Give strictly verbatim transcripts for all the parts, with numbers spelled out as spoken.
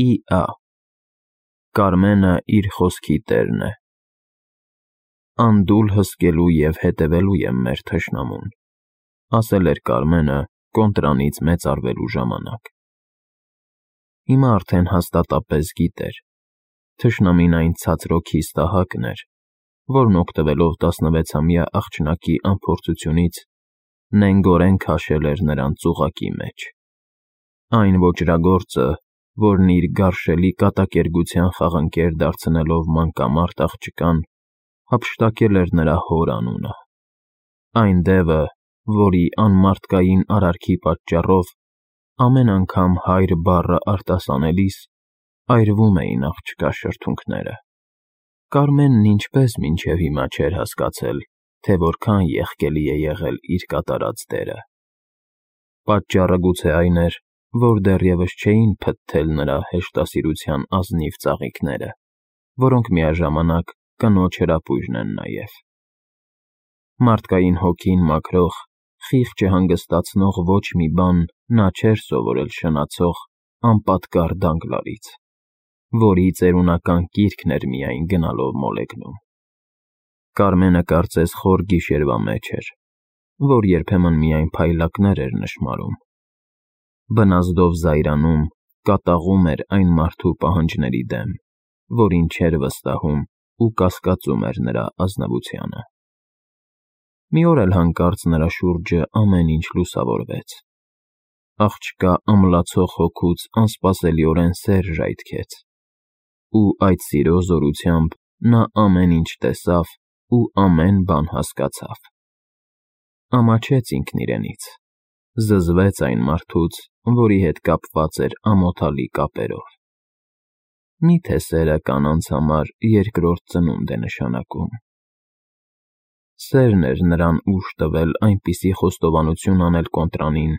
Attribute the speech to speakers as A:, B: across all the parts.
A: Իա Կարմենը իր խոսքի տերն է։ Անդուլ հսկելու և հետևելու եմ մեր թշնամուն, ասել էր Կարմենը կոնտրանից մեծարվելու ժամանակ։ Հիմա արդեն հաստատապես գիտեր, թշնամին այն ցածրօքի ստահակն էր, որն օգտվելով տասնվեցամյա աղջնակի անփորձությունից նենգորեն քաշել էր նրան ծուղակի մեջ։ Այն ոճրագործը, որն իր գարշելի կատակերգության խաղընկեր դարձնելով մանկամարտ աղջկան, հափշտակել էր նրա հոր անունը։ Այն դևը, որի անմարդկային արարքի պատճառով ամեն անգամ հայր բառը արտասանելիս այրվում էին աղջկա շրթունքները։ Կարմենն ինչպես մինչև հիմա չէր հասկացել, թե որքան եղկելի է եղել իր կատարած դերը։ Պատճառը գուցե այն էր, որ դեռևս չէին փթթել նրա հեշտասիրության ազնիվ ծաղիկները, որոնք միաժամանակ կնոջ հրապույրն են նաև։ Մարդկային հոգին մաքրող, խիղճը հանգստացնող ոչ մի բան նա չէր սովորել շնացող, անպատկառ Դանգլարից, որի ծերունական կիրքն էր միայն գնալով մոլեգնում։ Կարմենը կարծես խոր գիշերվա մեջ էր, որ երբեմն միայն փայլակներ էր նշմարում։ Բնազդով զայրանում, կատաղում էր այն մարդու պահանջների դեմ, որին չէր վստահում ու կասկածում էր նրա ազնվությանը։ Մի օր էլ հանկարծ նրա շուրջը ամեն ինչ լուսավորվեց։ Աղջկա ամլացող հոգուց անսպասելիորեն սեր ժայթքեց, ու այդ սիրո զորությամբ նա ամեն ինչ տեսավ ու ամեն բան հասկացավ։ Ամաչեց ինքն իրենից, զզվեց այն մարդուց, որի հետ կապված էր ամոթալի կապերով։ Մի՞թե սերը կանանց համար երկրորդ ծնունդ է նշանակում։ Սերն էր նրան ուժ տվել այնպիսի խոստովանություն անել կոնտրանին,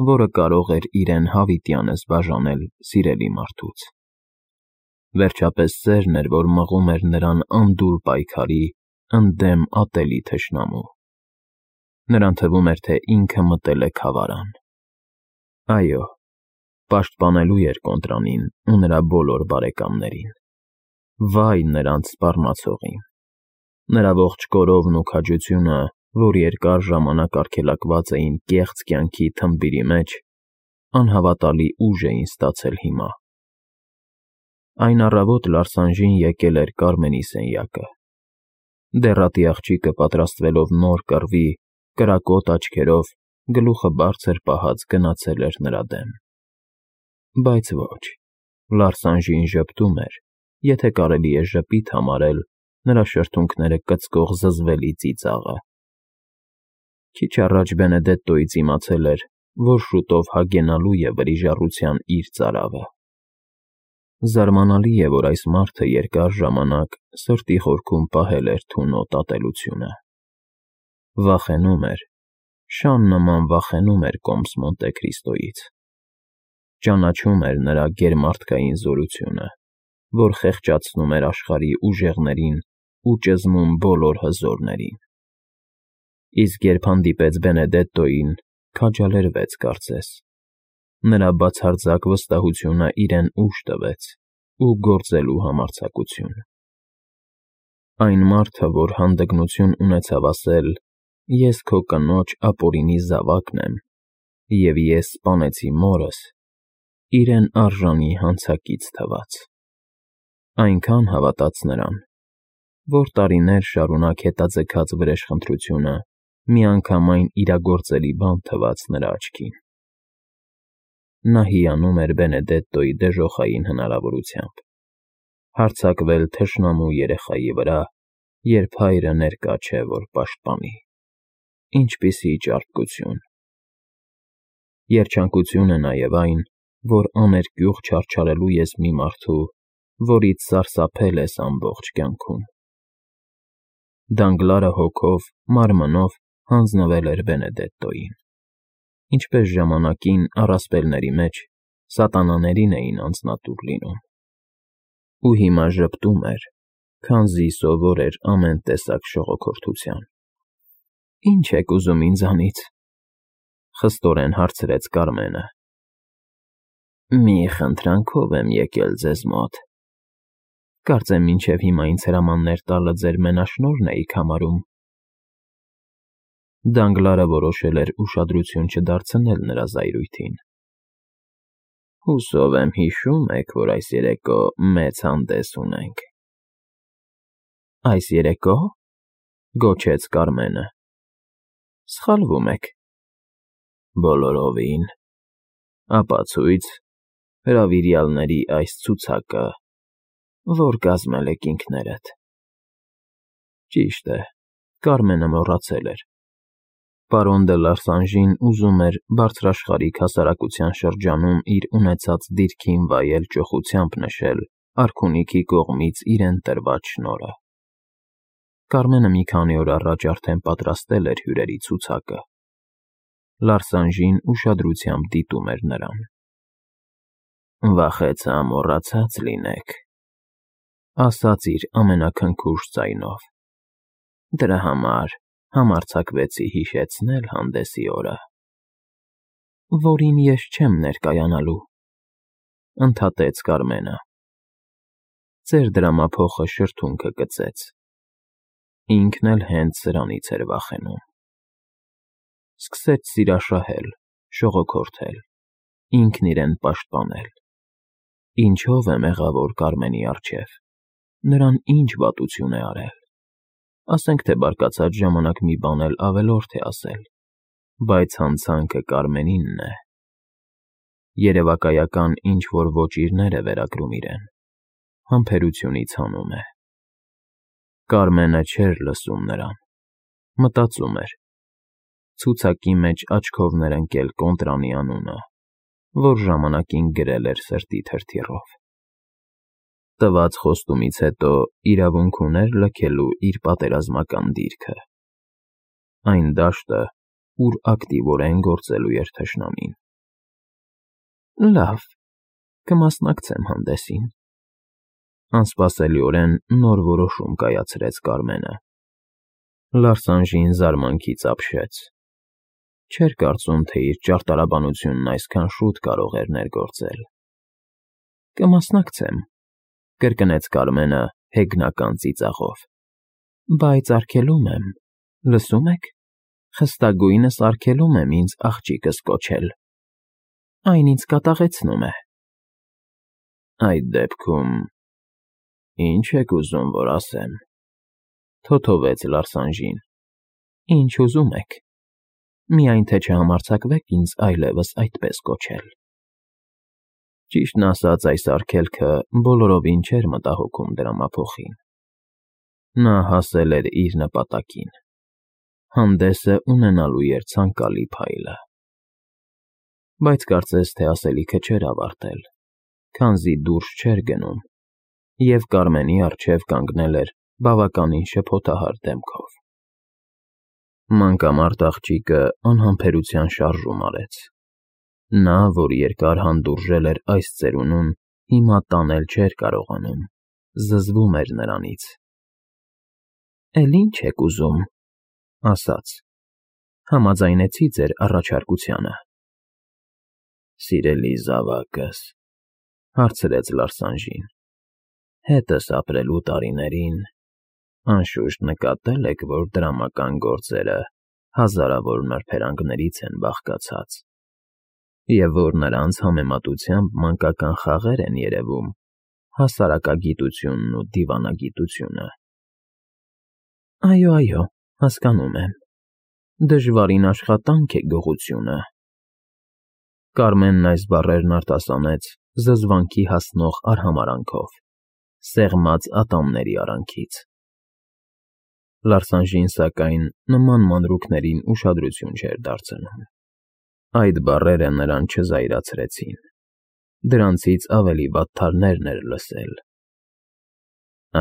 A: որը կարող էր իրեն հավիտյանս բաժանել սիրելի մարդուց։ Վերջապես սերն էր, որ մղում էր նրան անդուլ պայքարի, ընդդեմ ատելի թշնամու։ Նրան թվում էր, թե ինքը մտել է քավարան։ Այո, պաշտպանելու էր կոնտրանին ու նրա բոլոր բարեկամներին։ Վայ նրանց սպառնացողին։ Նրա ողջ կորովն ու քաջությունը, որ երկար ժամանակ արգելակված էին կեղծ կյանքի թմբիրի մեջ, անհավատալի ուժ էին ստացել հիմա։ Այն առավոտ Լարսանժին եկել էր Կարմենի սենյակը։ Դեռատի աղջիկը պատրաստվելով նոր կռվի, կրակոտ աչքերով, գլուխը բարձր պահած գնացել էր նրա դեմ։ Բայց ոչ, Լարսանժին ժպտում էր, եթե կարելի է ժպիտ համարել նրա շրթունքները կծկող զզվելի ծիծաղը։ Քիչ առաջ Բենեդետտոից իմացել էր, որ շուտով հագենալու է վրիժառության իր ծարավը։ Զարմանալի է, որ այս մարդը երկար ժամանակ սրտի խորքում պահել էր թունոտ ատելությունը։ Վախենում էր, շան նման վախենում էր կոմս Մոնտե Քրիստոյից։ Ճանաչում էր նրա գերմարդկային զորությունը, որ խեղճացնում էր աշխարհի ուժեղներին ու ճզմում բոլոր հզորներին։ Իսկ երբ հանդիպեց Բենեդետտոյին, քաջալերվեց կարծես։ Նրա բացարձակ վստահությունը իրեն ուժ տվեց ու գործելու համարձակություն։ Այն մարդը, որ հանդգնություն ունեցավ ասել. «Ես քո կնոջ ապօրինի զավակն եմ, և ես սպանեցի մորս», իրեն արժանի հանցակից թվաց։ Այնքան հավատաց նրան, որ տարիներ շարունակ հետաձգած վրեժխնդրությունը միանգամայն իրագործելի բան թվաց նրա աչքին։ Նա հիանում էր Բենեդետտոյի դժոխային հնարավորությամբ հարձակվել թշնամու երեխայի վրա, երբ հայրը ներկա չէ, որ պաշտպանի։ Ինչպիսի ճարպկություն։ Երջանկություն է նաև այն, որ աներկյուղ չարչարելու ես մի մարդու, որից սարսափել ես ամբողջ կյանքում։ Դանգլարը հոգով, մարմնով հանձնվել էր Բենեդետտոյին։ Ինչպես ժամանակին առասպելների մեջ սատանաներին էին անձնատուր լինում։ Ու հիմա ժպտում էր, քանզի սովոր էր ամեն տեսակ շողոքորթության։ «Ի՞նչ եք ուզում ինձանից», խստորեն հարցրեց Կարմենը։ Մի խնդրանքով եմ եկել ձեզ մոտ։ Կարծեմ մինչև հիմա ինձ հրամաններ տալը ձեր մենաշնորհն էիք համարում։ Դանգլարը որոշել էր ուշադրություն չդարձնել նրա զայրույթին։ Հուսով եմ հիշում եք, որ այս երեկո մեծ հանդես ունենք։ Այս երեկո՞, գոչեց Կարմենը։ Սխալվում եք։ Բոլորովին։ Ապացույց հրավիրյալների այս ցուցակը, որ կազմել եք ինքներդ։ Ճիշտ է, Կարմենը մոռացել էր։ Պարոն դե Լարսանժին ուզում էր բարձրաշխարհիկ հասարակության շրջանում իր ունեցած դիրքին վայել ճոխությամբ նշել արքունիքի կողմից իրեն տրված շնորհը։ Կարմենը մի քանի օր առաջ արդեն պատրաստել էր հյուրերի ցուցակը։ Լարսանժին ուշադրությամբ դիտում էր նրան։ Վախեցա մոռացած լինեք, ասաց իր ամենաքնքուշ ձայնով։ Դրա համար համարձակվեցի հիշեցնել հանդեսի օրը, որին ես չեմ ներկայանալու, ընդհատեց Կարմենը։ Ձեր դրամափոխը շրթունքը գծեց։ Ինքն էլ հենց սրանից էր վախենում։ Սկսեց սիրաշահել, շողոքորթել, ինքն իրեն պաշտպանել։ Ինչով է մեղավոր Կարմենի առջև, նրան ինչ վատություն է արել։ Ասենք թե բարկացած ժամանակ մի բան էլ ավելորդ է ասել, բայց հանցանքը Կարմենինն է։ Երևակայական ինչ-որ ոճիրներ է վերագրում իրեն, համբերությունից հանում է։ Կարմենը չէր լսում նրան, մտածում էր։ Ցուցակի մեջ աչքովներ ընկել Կոնտրանի անունը, որ ժամանակին գրել էր սրտի թրթիռով։ Տված խոստումից հետո իրավունք ուներ լքելու իր պատերազմական դիրքը։ Այն դաշտը, ուր ակտիվորեն գործելու էր թշնամին։ Լավ, կմասնակցեմ հանդեսին։ Անսպասելիորեն նոր որոշում կայացրեց Կարմենը։ Լարսանժին զարմանքից ապշեց։ Չէր կարծում, թե իր ճարտարաբանությունն այսքան շուտ կարող էր ներգործել։ Կմասնակցեմ, կրկնեց Կարմենը հեգնական ծիծաղով։ Բայց արգելում եմ, լսում եք, խստագույնս արգելում եմ ինձ աղջիկս կոչել։ Այն ինձ կատաղեցնում է։ Այդ դեպքում ի՞նչ եք ուզում, որ ասեմ, թոթովեց Լարսանժին։ Ինչ ուզում եք, միայն թե չհամարձակվեք ինձ այլևս այդպես կոչել։ Ճիշտն ասած, այս արգելքը բոլորովին չէր մտահոգում դրամափոխին։ Նա հասել էր իր նպատակին։ Հանդեսը ունենալու էր ցանկալի փայլը։ Բայց կարծես թե ասելիքը չէր ավարտել, քանզի դուրս չէր գնում, և Կարմենի առջև կանգնել էր բավականին շփոթահար դեմքով։ Մանկամարտ աղջիկը անհամբերության շարժում արեց։ Նա, որ երկար հանդուրժել էր այս ծերունուն, հիմա տանել չէր կարողանում, զզվում էր նրանից։ Էլ ի՞նչ եք ուզում, ասաց։ Համաձայնեցի ձեր առաջարկությանը։ Սիրելի զավակս, հարցրեց Լարսանժին, հետս ապրելու տարիներին անշուշտ նկատել եք, որ դրամական գործերը հազարավոր նրբերանգներից են բաղկացած, և որ նրանց համեմատությամբ մանկական խաղեր են երևում հասարակագիտությունն ու դիվանագիտությունը։ Այո, այո, հասկանում եմ, դժվարին աշխատանք է գողությունը։ Կարմենն այս բառերն արտասանեց զզվանքի հասնող արհամարհանքով, սեղմած ատամների արանքից։ Լարսանժին, սակայն, նման մանրուքներին ուշադրություն չէր դարձնում։ Այդ բառերը նրան չզայրացրեցին։ Դրանցից ավելի վատթարներն էր լսել։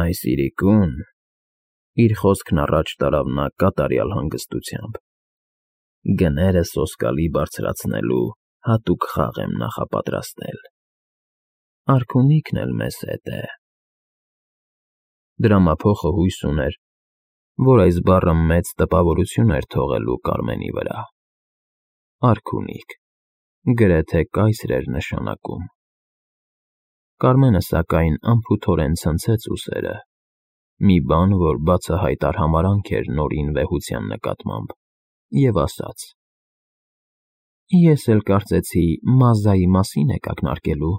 A: Այս իրիկուն, իր խոսքն առաջ տարավ նա կատարյալ հանգստությամբ, գները սոսկալի բարձրացնելու հատուկ խաղ եմ նախապատրաստել։ Արքունիքն էլ մեզ հետ է։ Դրամափոխը հույս ուներ, որ այս բառը մեծ տպավորություն էր թողելու Կարմենի վրա։ Արքունիք, գրեթե կայսր էր նշանակում։ Կարմենը սակայն անփութորեն ցնցեց ուսերը, մի բան, որ բացահայտ արհամարհանք էր Նորին վեհության նկատմամբ, և ասաց. Ես էլ կարծեցի Մազայի մասին եք ակնարկելու,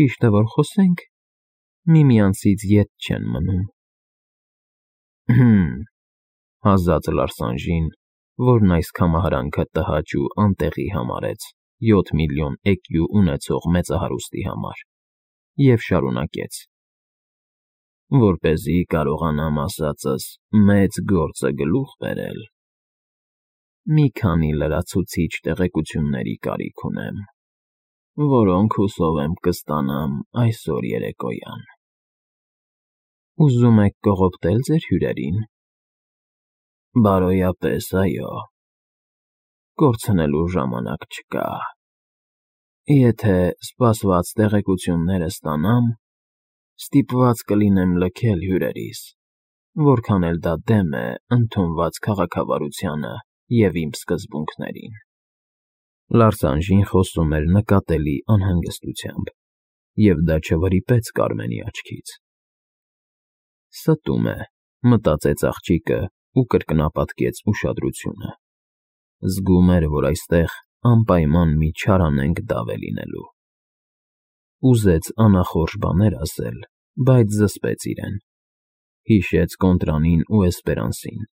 A: ճիշտ է, որ խոսենք, միմյանցից ետ չեն մնում։ Հըմ, հազաց Լարսանժին, որն այս կամահարանքը տհաճ ու անտեղի համարեց յոթ միլիոն էկյու ունեցող մեծահարուստի համար, և շարունակեց. Որպեսզի կարողանամ ասածս մեծ գործը գլուխ բերել, մի քանի լրացուցիչ տեղեկությունների կարիք ունեմ, որոնք հուսով եմ կստանամ այսօր երեկոյան։ Ուզում եք կողոպտել ձեր հյուրերին։ Բարոյապես, այո, կորցնելու ժամանակ չկա։ Եթե սպասված տեղեկությունները ստանամ, ստիպված կլինեմ լքել հյուրերիս, որքան էլ դա դեմ է ընդունված քաղաքավարությանը և իմ սկզբունքներին։ Լարսանժին խոսում էր նկատելի անհանգստությամբ, և դա չվրիպեց Կարմենի աչքից։ Ստում է, մտածեց աղջիկը ու կրկնապատկեց ուշադրությունը։ Զգում էր, որ այստեղ անպայման մի չարանենգ դավ է լինելու։ Ուզեց անախորժ բաներ ասել, բայց զսպեց իրեն, հիշեց Կոնտրանին ու Էսպերանսին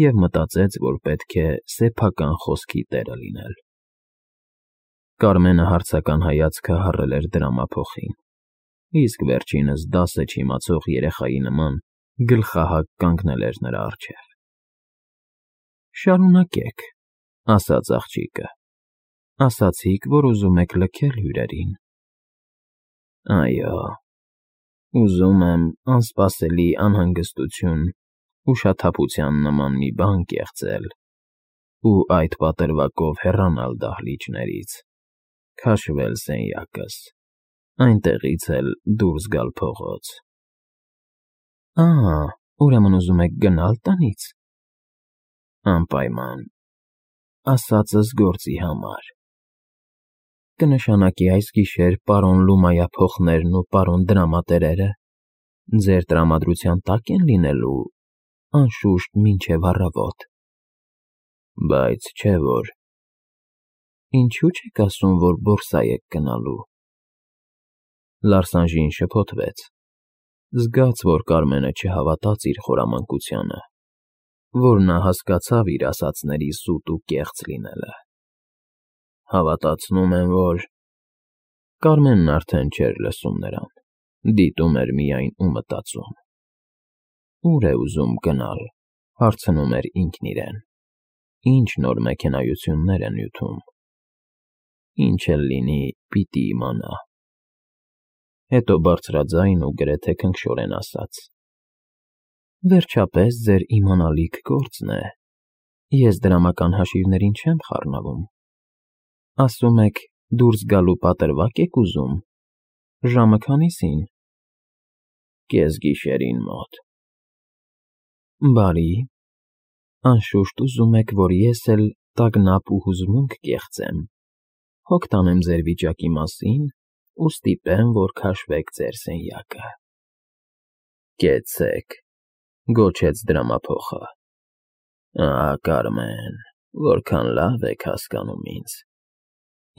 A: և մտածեց, որ պետք է սեփական խոսքի տերը լինել։ Կարմենը հարցական հայացքը հառել էր դրամափոխին, իսկ վերջինս դասը չիմացող երեխայի նման գլխահակ կանգնել էր նրա առջև։ Շարունակեք, ասաց աղջիկը, ասացիք, որ ուզում եք լքել հյուրերին։ Այո, ուզում եմ անսպասելի անհանգստություն, ուշաթափության նման մի բան կեղծել ու այդ պատրվակով հեռանալ դահլիճներից, քաշվել սենյակս, այնտեղից էլ դուրս գալ փողոց։ Ահա, ուրեմն ուզում եք գնալ տանից։ Անպայման, ասածս գործի համար։ Կնշանակի այս գիշեր պարոն Լումայափոխներն ու պարոն դրամատերերը ձեր տրամադրության տակ են լինելու, անշուշտ մինչև առավոտ։ Բայց չէ որ։ Ինչու՞ չեք ասում, որ բորսա եք գնալու։ Լարսանժին շփոթվեց, զգաց, որ Կարմենը չհավատաց իր խորամանկությանը, որ նա հասկացավ իր ասածների սուտ ու կեղծ լինելը։ Հավատացնում եմ, որ… Կարմենն արդեն չէր լսում նրան, դիտում էր միայն ու մտածում։ Ո՞ւր է ուզում գնալ, հարցնում էր ինքն իրեն, ինչ նոր մեքենայություններ է նյութում։ Ինչ էլ լինի, պիտի իմանա։ Հետո բարձրաձայն ու գրեթե քնքշորեն ասաց. Վերջապես ձեր իմանալիք գործն է, ես դրամական հաշիվներին չեմ խառնվում։ Ասում եք, դուրս գալու պատրվակ եք ուզում, ժամը քանիսին։ Կեսգիշերին մոտ։ Բարի, անշուշտ ուզում եք, որ ես էլ տագնապ ու հուզմունք կեղծեմ, հոգ տանեմ ձեր վիճակի մասին ու ստիպեմ, որ քաշվեք ձեր սենյակը։ Կեցցեք, գոչեց դրամափոխը։ Ահա, Կարմեն, որքան լավ եք հասկանում ինձ։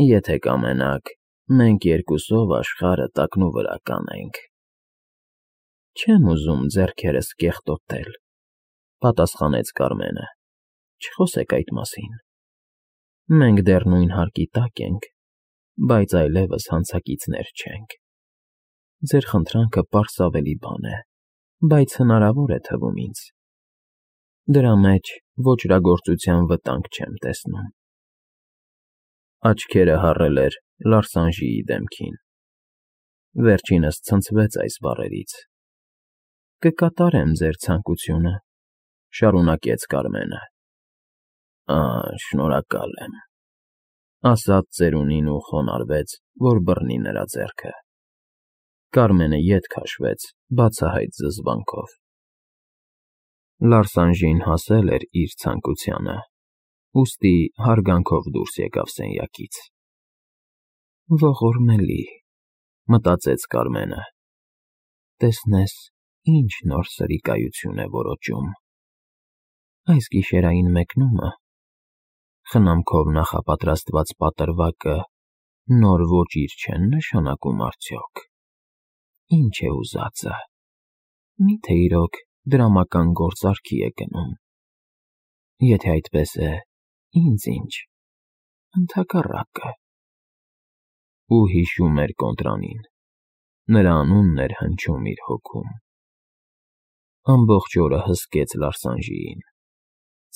A: Եթե կամենաք, մենք երկուսով աշխարհը տակնու վրա կանենք։ Չեմ ուզում ձեռքերս կեղտոտել, պատասխանեց Կարմենը, չխոսեք այդ մասին։ Մենք դեռ նույն հարկի տակ ենք, բայց այլևս հանցակիցներ չենք։ Ձեր խնդրանքը պարսավելի բան է, բայց հնարավոր է թվում ինձ։ Դրա մեջ ոճրագործության վտանգ չեմ տեսնում։ Աչքերը հառել էր Լարսանժիի դեմքին։ Վերջինս ցնցվեց այս բառերից։ Կկատարեմ ձեր ցանկությունը, շարունակեց Կարմենը։ Ահ, շնորհակալ եմ, ասաց ծերունին ու խոնարհվեց, որ բռնի նրա ձեռքը։ Կարմենը ետ քաշվեց, բացահայտ զզվանքով։ Լարսանժին հասել էր իր ցանկությանը, ուստի հարգանքով դուրս եկավ սենյակից։ Ողորմելի, Մտածեց Կարմենը։ Տեսնես, ինչ նոր սրիկայություն է որոճում։ Այս գիշերային մեկնումը, խնամքով նախապատրաստված պատրվակը նոր ոճիր չեն նշանակում արդյոք։ Ինչ է ուզածը։ Միթե իրոք դրամական գործարքի է գնում։ Եթե այդպես է, ինձ ինչ, ընդհակառակը։ Ու հիշում էր կոնտրանին, նրա անունն էր հնչում իր հոգում։ Ամբողջ օրը հսկեց Լարսանժիին,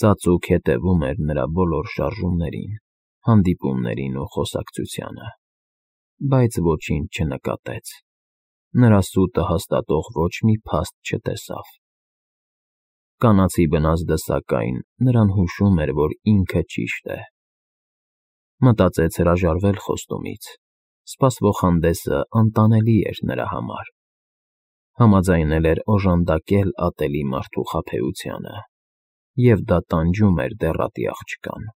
A: ծածուկ հետևում էր նրա բոլոր շարժումներին, հանդիպումներին ու խոսակցությանը, բայց ոչինչ չնկատեց, նրա սուտը հաստատող ոչ մի փաստ չտեսավ։ Կանացի բնազդը, սակայն, նրան հուշում էր, որ ինքը ճիշտ է։ Մտածեց հրաժարվել խոստումից, սպասվող հանդեսը անտանելի էր նրա համար։ Համաձայնել էր օժանդակել ատելի մարդու խաբեությանը, և դա տանջում էր դեռատի աղջկան։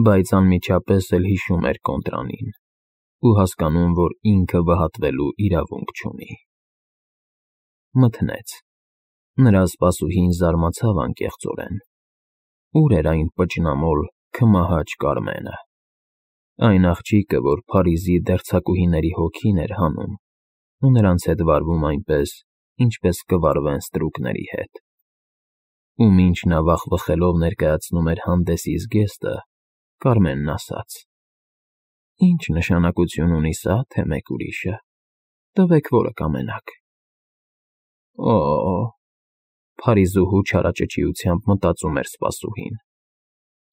A: Բայց անմիջապես էլ հիշում էր կոնտրանին ու հասկանում, որ ինքը վհատվելու իրավունք չունի։ Մթնեց։ Նրա սպասուհին զարմացավ անկեղծորեն։ Ուր էր այն պճնամոլ, քմահաճ Կարմենը։ Այն աղջիկը, որ Փարիզի դերձակուհիների հոգին էր հանում ու նրանց հետ վարվում այնպես, ինչպես կվարվեն ստրուկների հետ։ Ու մինչ նա վախվխելով ներկայացնում էր հանդեսի զգեստը, Կարմենն ասաց. Ինչ նշանակություն ունի սա, թե մեկ ուրիշը, տվեք, որը կամենաք։ Օ՜օ, Փարիզուհու չարաճճիությամբ մտածում էր սպասուհին։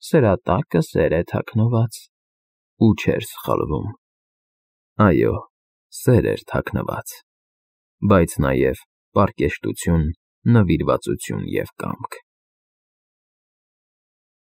A: Սրա տակը սեր է թաքնված։ Ու չէր սխալվում։ Այո, սեր էր թաքնված, բայց նաև պարկեշտություն, նվիրվածություն և կամք։